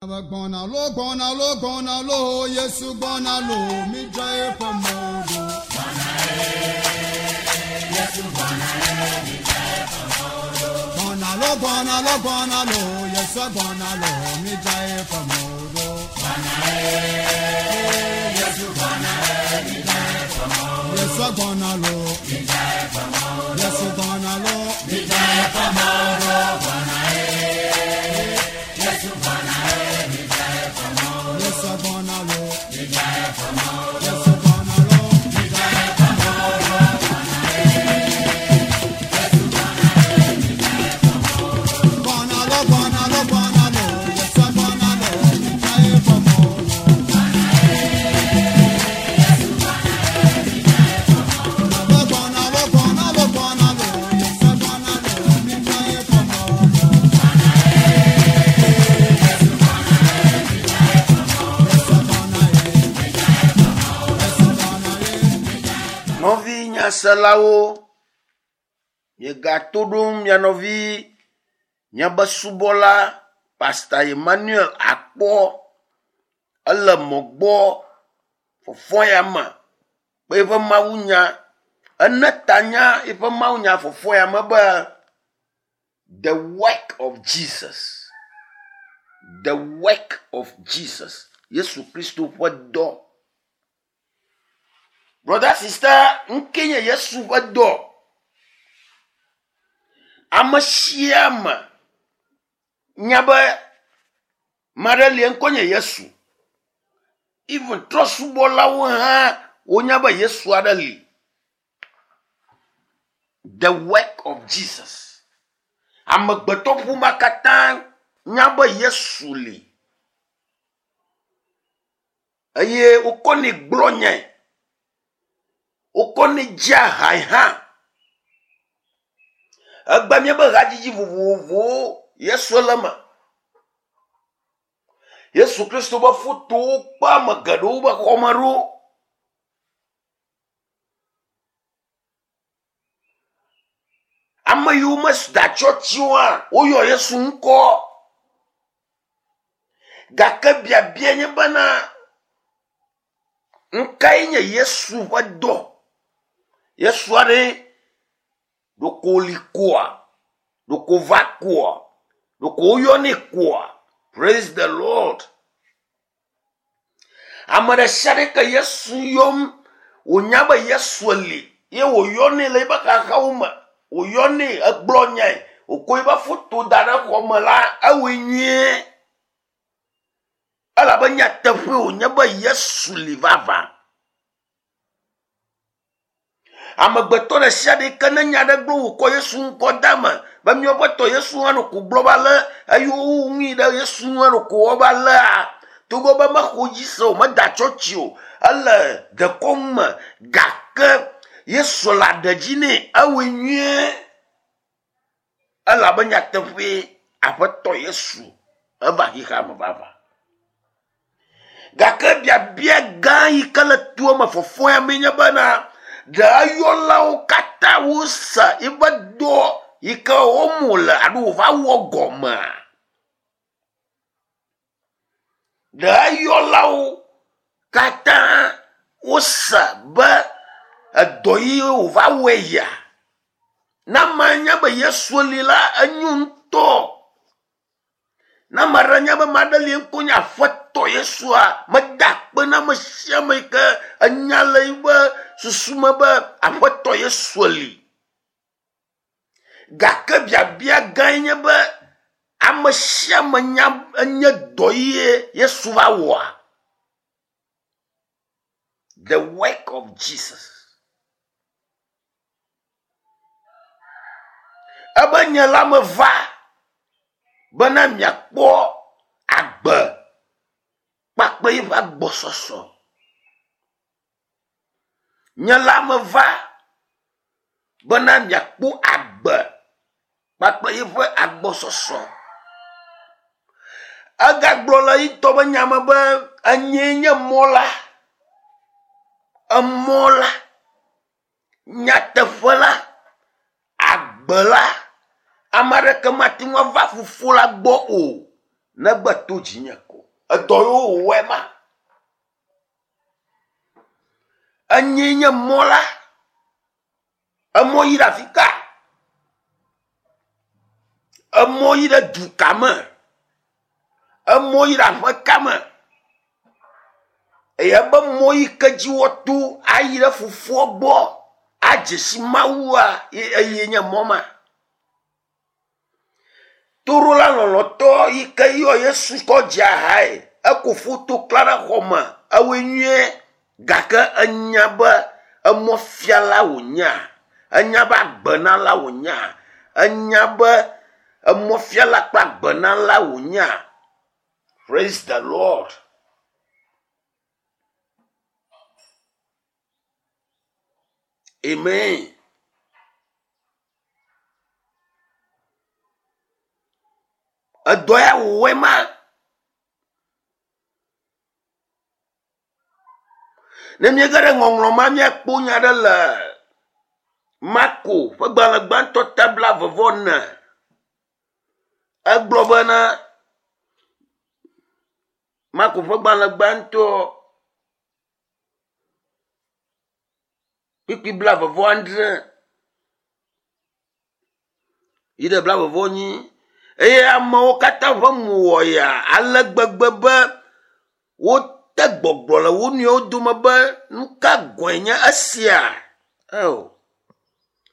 Gbɔna lo gbɔna lo gbɔna lo Yesu gbɔna lo mi dza eƒe mɔ ɖo. Gbɔna lo gbɔna lo gbɔna lo Yesu gbɔna lo mi dza eƒe mɔ ɖo. Yesu gbɔna lo Yesu gbɔna lo mi dza eƒe mɔ ɖo. Yesu gbɔna lo Yesu gbɔna lo mi dza eƒe mɔ ɖo. Gbɔna lo gbɔna lo gbɔna lo Yesu gbɔna lo mi dza eƒe mɔ ɖo. Gbɔna lo gbɔna lo gbɔna lo Yesu gbɔna lo mi dza eƒe mɔ ɖo. Yesu gbɔna ye. Yesu gbɔna ye. Nɔvi nyaselawo, miegato ɖom mia nɔvi miabe subɔla Pastor Emmanuel akpɔ ele mɔ gbɔ fɔfɔ ya me kple eƒe mawunya. Ene tanya eƒe mawunya fɔfɔ ya me be the work of Jesus. The work of Jesus. Yesu Kristo ƒe dɔ. Brother sister, ŋke nye Yesu ƒe dɔ. Ame sia ame nya be maɖe li ŋkɔ nye Yesu. Even trɔsubɔlawo hã wonya be Yesu aɖe li. The work of Jesus. Amegbetɔ ƒomea katã nya be Yesu li. Eye wokɔnɛ gblɔ nyae. Wokɔnɛ dzia hae hã. Egbe míabe hadzidzi vovovowo Yesu le eme. Yesu Kristo be fotowo kpe ame geɖewo be xɔme ɖo. Ame yiwo meda tsɔtsi o hã woyɔ Yesu ŋkɔ. Gake biabia nye bena nukae nye Yesu ƒe dɔ? Yesu aɖe ɖeko wòli koa? Ɖeko wòva koa? Ɖeko woyɔnɛ koa? Praise the Lord. Ame ɖe sia ɖe ke Yesu yɔm wònya be Yesu li ye wòyɔnɛ le eƒe xaxawo me, wòyɔnɛ egblɔ nyae, wòkɔ eƒe foto da ɖe xɔ me la, ewɔe nyuie. Elabe nyateƒe wònye be Yesu li vavã. Amegbetɔ ɖe sia ɖe ke ne nya aɖe gblɔ wòkɔ Yesu ŋkɔ de eme be míaƒe tɔ Yesu hã ɖo ko gblɔ be ale eye woŋui ɖe Yesu hã ɖo ko wɔ be alea togbɔ be mexɔ dzi se o, meda tsɔtsi o, ele dekɔnu me gake Yesu le aɖe dzi nɛ ewɔe nyuie elabe nyateƒee Aƒetɔ Yesu eva xexea me vavã. Gake biabia gã yi ke le toa me fɔfɔa mee nye bena ɖe eyɔlawo katã wose eƒe dɔ yi ke wɔm wòle alo wòva wɔ gɔmea? Ɖe eyɔlawo katã wose be edɔ yi wòva wɔe yia? Ne amea nya be Yesu li la, enyo ŋutɔ. Ne ame aɖe nya be ame aɖe li ŋkɔ nye Aƒetɔ Yesua, meda akpe na ame sia ame yi ke enya le eƒe susu me be Aƒetɔ Yesu li. Gake biabia gãe nye be ame sia ame nya enye dɔ ye Yesu va wɔa? The work of Jesus. Ebe nye la meva bena miakpɔ agbe kpakple eƒe agbɔsɔsɔ. Nye la meva bena miakpɔ agbe kpakple eƒe agbɔsɔsɔ. Egagblɔ le ye ŋutɔ ƒe nya me be enyee nye mɔ la, emɔ la. Nyateƒe la, agbe la, ame aɖeke mate ŋu ava Fofo la gbɔ o, Negbe to dzinye ko. Edɔ yiwo wòwɔe ma. Enyee nye mɔ la. Emɔ yi ɖe afi ka? Emɔ yi ɖe du ka me? Emɔ yi ɖe aƒe ka me? Eye ebe mɔ yi ke dzi woato ayi ɖe fofoa gbɔ adze si Mawua eye nye mɔ ma. Toɖola lɔlɔ̃tɔ yi ke yɔ Yesu kɔ dze ahae, eko foto kla ɖe xɔ me, ewɔe nyuie gake enya be emɔfiala wònyea, enya be agbenala wònyea, enya be emɔfiala kple agbenala wònyea. Praise the Lord. Amen. Edɔ ya wòwɔe ma. Ne míege ɖe ŋɔŋlɔ ma míakpɔ nya ɖe le Marko ƒe gbalẽ gbãtɔ ta blaeve-vɔ-ene. Egblɔ bena Marko ƒe gbalẽ gbãtɔ kpukpui blaeve-vɔ-adre yi ɖe blaeve-vɔ-enyi eye amewo katã ƒe mo wɔ yaa ale gbegbe be wote gbɔgblɔ le wo nɔewo dome be nu ka gɔ̃e nye esia? Eo,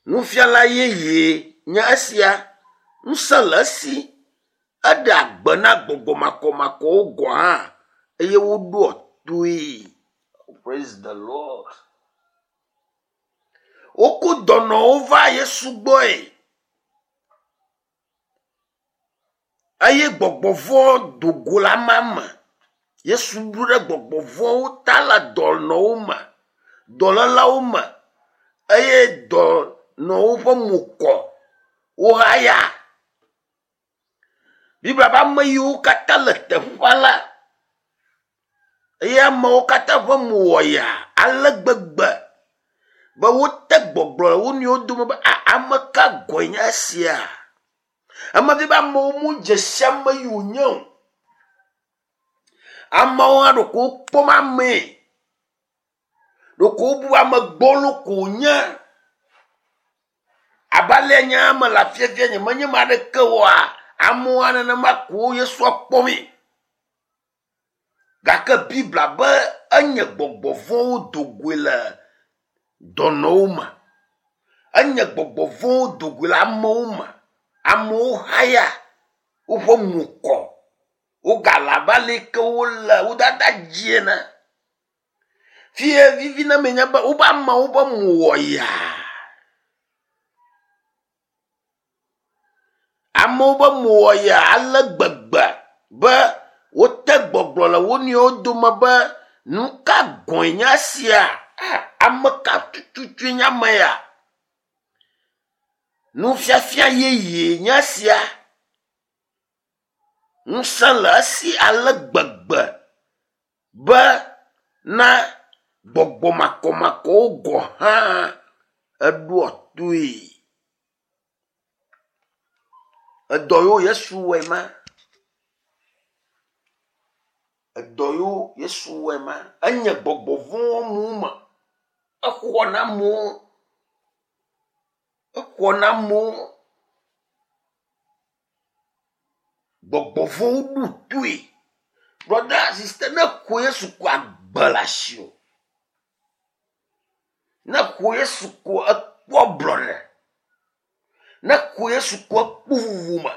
nufiala yeye nye esia, ŋusẽ le esi, eɖea gbe na gbɔgbɔ makɔmakɔwo gɔ̃ hã eye woɖoa toe. Praise the Lord. Woko dɔnɔwo va Yesu gbɔe eye gbɔgbɔ vɔ̃ do go le amea me. Yesu ɖu ɖe gbɔgbɔ vɔ̃wo ta le dɔnɔwo me, dɔlélawo me eye dɔnɔwo ƒe mo kɔ, wohaya. Biblia be ame yiwo katã le teƒea la eye amewo katã ƒe mo wɔ yaa ale gbegbe be wote gbɔgblɔ le wo nɔewo dome be a ame ka gɔ̃e nye esia? Eme vi be amewo medze si ame yi wònye o. Amewo hã ɖeko wokpɔm amee. Ɖeko wobu ame gbɔlo ko wònye. Abe alea nye hã mele afiafia nyemenye ame aɖeke oa, amewo hã nenema ko Yesua kpɔmee. Gake Biblia be enye gbɔgbɔ vɔ̃wo do goe le dɔnɔwo me. Enye gbɔgbɔ vɔ̃wo do goe le amewo me. Amewo haya, woƒe mo kɔ, wogale abe ale yi ke wole wo dada dzi ene. Fie vivi na ame nye be wobe amewo ƒe mo wɔ yaa. Amewo ƒe mo wɔ yaa ale gbegbe be wote gbɔgblɔ le wo nɔewo dome be nu ka gɔ̃e nye esia? Ame ka tututue nye ame ya? Nufiafia yeye nye esia. Ŋusẽ le esi ale gbegbe be na gbɔgbɔ makɔmakɔwo gɔ̃ hã eɖoa toe. Edɔ yiwo Yesu wɔe ma. Edɔ yiwo Yesu wɔe ma. Enye gbɔgbɔ vɔ̃wo amewo me. Exɔ na amewo. Exɔ na amewo. Gbɔgbɔ vɔ̃wo ɖo toe. Brɔda, sista, ne xɔ Yesu ko agbe le asiwò. Ne xɔ Yesu ko ekpɔ ablɔɖe. Ne xɔ Yesu ko ekpɔ vovo me.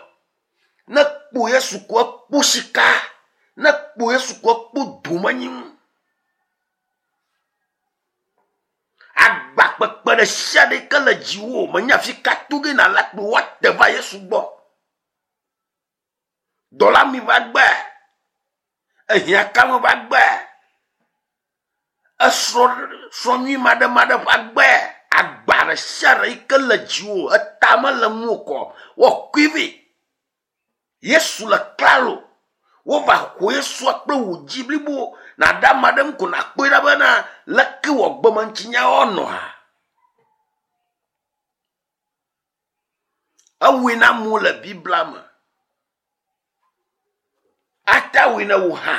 Ne kpɔ Yesu ko ekpɔ sika. Ne kpɔ Yesu ko ekpɔ domenyinu. Agba kpekpe ɖe sia ɖe ke le dziwò menye afi ka to ge nàle kple woate va Yesu gbɔ. Dɔla mi va gbe, ehiã kame va gbe, esrɔ̃ srɔ̃ nyui maɖemaɖe ƒe agbe, agba ɖe sia ɖe yi ke le dziwò eta mele ŋuwò kɔ woakui vɛ. Yesu le klalo. Wova xɔ Yesua kple wò dzi blibo. Nàɖe ame aɖe ŋu ko nàkpɔe ɖa bena leke wò agbemeŋutinyawo nɔa. Ewɔe na amewo le Biblia me. Ate awɔe na wò hã.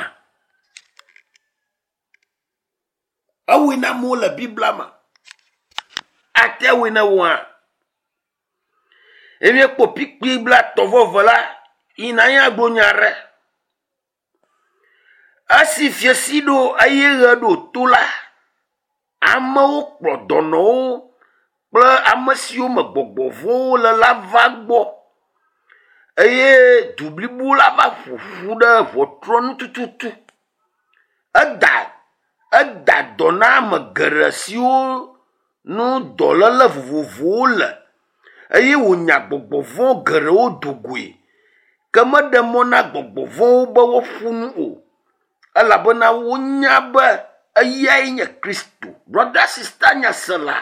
Ewɔe na amewo le Biblia me. Ate awɔe na wò hã. Eye míekpɔ kpikpi blatɔ̃ vɔ eve la yina ye agblɔ nya aɖe. Esi fiasi ɖo eye ɣe ɖo to la, amewo kplɔ dɔnɔwo kple ame siwo me gbɔgbɔ vɔ̃wo le la va gbɔ eye du blibo la va ƒoƒu ɖe ŋɔtrɔ nu tututu. Eda eda dɔ na ame geɖe siwo nu dɔléle vovovowo le eye wònya gbɔgbɔ vɔ̃ geɖewo do goe. Ke meɖe mɔ na gbɔgbɔ vɔ̃wo be woaƒo nu o elabena wonya be eyae nye Kristo. Brɔda sista nyasela,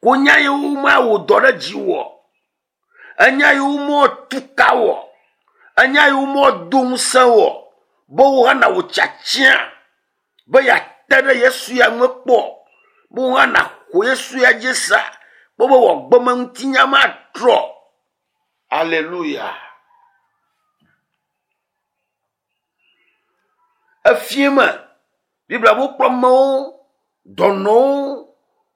ko nya yiwo mawɔ dɔ ɖe dziwò, enya yiwo mewɔ tu ka wɔ, enya yiwo mewɔ do ŋusẽ wɔ be wò hã nawò tiatia be yeate ɖe Yesu ya ŋu kpɔ, be wò hã nàxɔ Yesu ya dzi sa kpɔ be wò agbemeŋutinya matrɔ. Aleluya. Efie me Biblia be wokplɔ amewo, dɔnɔwo,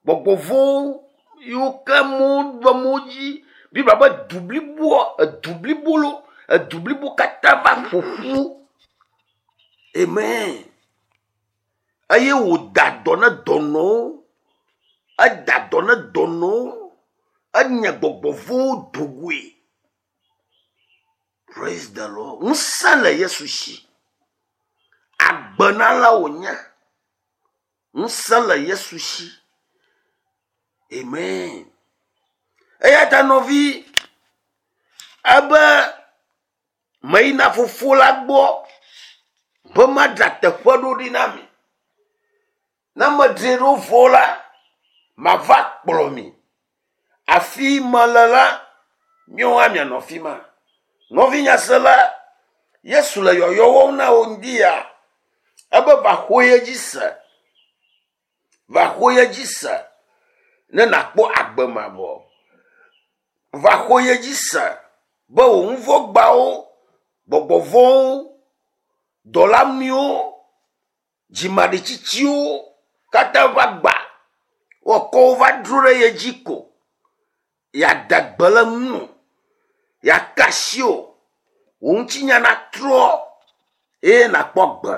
gbɔgbɔ vɔ̃wo yiwo ke amewo ɖu amewo dzi. Biblia be du bliboa, edu blibo lo, edu blibo katã va ƒo ƒu. Amen. Eye wòda dɔ ne dɔnɔwo. Eda dɔ ne dɔnɔwo. Enya gbɔgbɔ vɔ̃wo do goe. Praise the Lord. Ŋusẽ le Yesu si. Agbenala wònye. Ŋusẽ le Yesu si. Amen. Eya ta nɔvi, ebe meyina fofo la gbɔ be madzra teƒe ɖo ɖi na mi. Ne medzrae ɖo vɔ la, mava kplɔ mi. Afi mele la, míawo hã mianɔ afi ma. Nɔvi nyasela, Yesu le yɔyɔ wɔm na wò ŋdi ya. Ebe va xɔ ye dzi se. Va xɔ ye dzi se ne nàkpɔ agbe mavɔ. Va xɔ ye dzi se be wò nuvɔ̃gbawo, gbɔgbɔ vɔ̃wo, dɔlamiwo, dzimaɖitsitsiwo katã va gba woakɔ wo va dro ɖe ye dzi ko. Yeada gbe le ŋuwò, yeaka asi wò, wò ŋutinya natrɔ eye nàkpɔ agbe.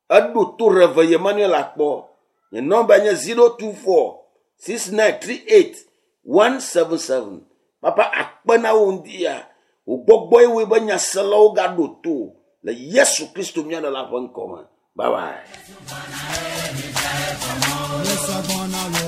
Eɖo to Rev. Emmanuel akpɔ. Nye nɔmba nye 024 6938 177. Papa akpe na wò ŋdi ya. Wò gbɔgbɔe wɔe be nyaselawo gaɖo to le Yesu Kristo mía Ɖela ƒe ŋkɔ me. Bye bye. Yesu gbɔna lo.